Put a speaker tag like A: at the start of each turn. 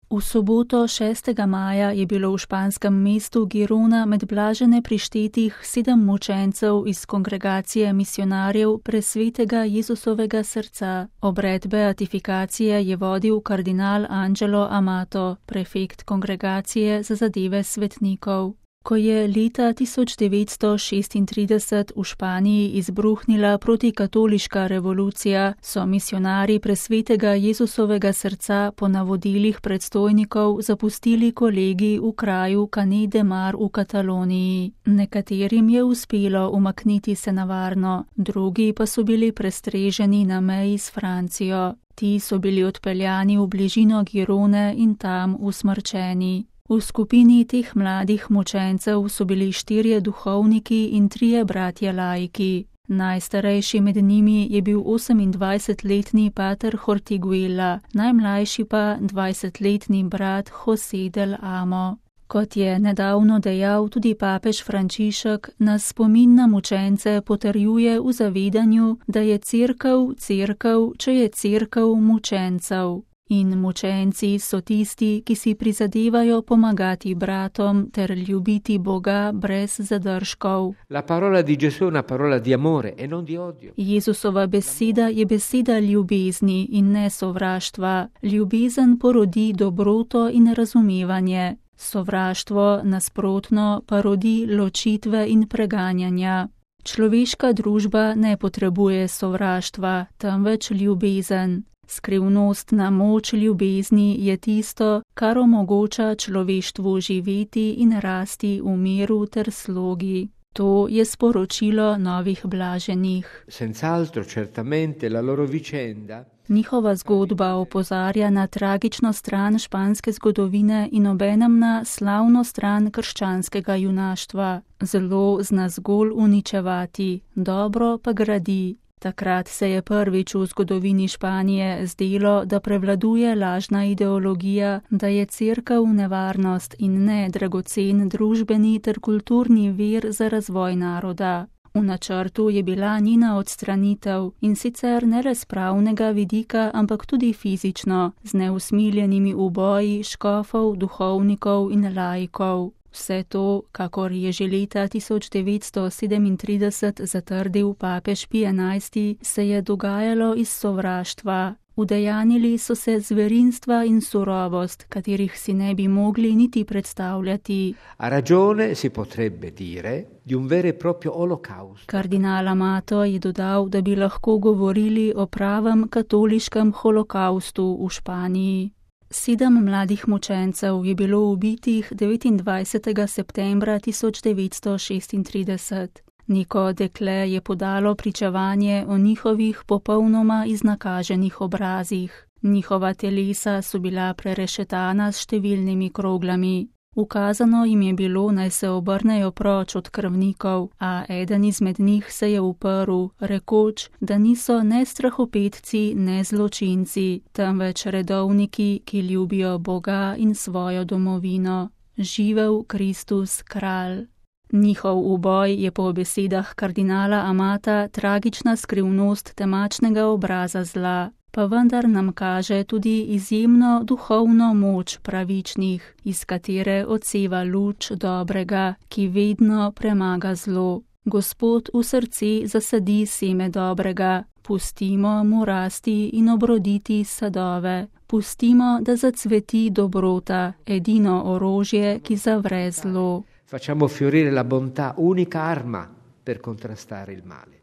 A: V soboto 6. maja je bilo v španskem mestu Girona med blažene prištetih 7 mučencev iz kongregacije misionarjev Presvetega Jezusovega srca. Obred beatifikacije je vodil kardinal Angelo Amato, prefekt kongregacije za zadeve svetnikov. Ko je leta 1936 v Španiji izbruhnila protikatoliška revolucija, so misionarji Presvetega Jezusovega srca po navodilih predstojnikov zapustili kolegij v kraju Canet de Mar v Kataloniji. Nekaterim je uspelo umakniti se na varno, drugi pa so bili prestreženi na meji s Francijo. Ti so bili odpeljani v bližino Girone in tam usmrčeni. V skupini teh mladih mučencev so bili 4 duhovniki in 3 bratje laiki. Najstarejši med njimi je bil 28-letni pater Hortiguela, najmlajši pa 20-letni brat José del Amo. Kot je nedavno dejal tudi papež Frančišek, nas spomin na mučence potrjuje v zavedanju, da je cerkev, če je cerkev mučencev. In mučenci so tisti, ki si prizadevajo pomagati bratom ter ljubiti Boga brez zadržkov.
B: La parola di Gesù è una parola di amore e non di odio.
A: Jezusova beseda je beseda ljubezni in ne sovraštva. Ljubezen porodi dobroto in razumevanje. Sovraštvo, nasprotno, pa rodi ločitve in preganjanja. Človeška družba ne potrebuje sovraštva, temveč ljubezen. Skrivnostna moč ljubezni je tisto, kar omogoča človeštvu živeti in rasti v miru ter slogi. To je sporočilo novih blaženih.
B: Senz'altro, certamente, la loro vicenda.
A: Njihova zgodba opozarja na tragično stran španske zgodovine in obenem na slavno stran krščanskega junaštva. Zlo zna zgolj uničevati, dobro pa gradi. Takrat se je prvič v zgodovini Španije zdelo, da prevladuje lažna ideologija, da je cerkev nevarnost in ne dragocen družbeni ter kulturni vir za razvoj naroda. V načrtu je bila njena odstranitev in sicer ne le s pravnega vidika, ampak tudi fizično, z neusmiljenimi uboji škofov, duhovnikov in laikov. Vse to, kakor je že leta 1937 zatrdil papež Pij XI, se je dogajalo iz sovraštva. Udejanili so se zverinstva in surovost, katerih si ne bi mogli niti predstavljati.
B: A ragione si potrebbe dire di un vero e proprio olocausto.
A: Kardinal Amato je dodal, da bi lahko govorili o pravem katoliškem holokaustu v Španiji. 7 mladih mučencev je bilo ubitih 29. septembra 1936. Neko dekle je podalo pričevanje o njihovih popolnoma iznakaženih obrazih. Njihova telesa so bila prerešetana s številnimi kroglami. Ukazano jim je bilo, naj se obrnejo proč od krvnikov, a eden izmed njih se je uprl, rekoč, da niso ne strahopetci, ne zločinci, temveč redovniki, ki ljubijo Boga in svojo domovino. Živel Kristus, kralj. Njihov uboj je po besedah kardinala Amata tragična skrivnost temačnega obraza zla, pa vendar nam kaže tudi izjemno duhovno moč pravičnih, iz katere odseva luč dobrega, ki vedno premaga zlo. Gospod v srce zasadi seme dobrega, pustimo mu rasti in obroditi sadove. Pustimo, da zacveti dobrota, edino orožje, ki zavre zlo.
B: Facciamo fiorire la bontà, unica arma per contrastare il male.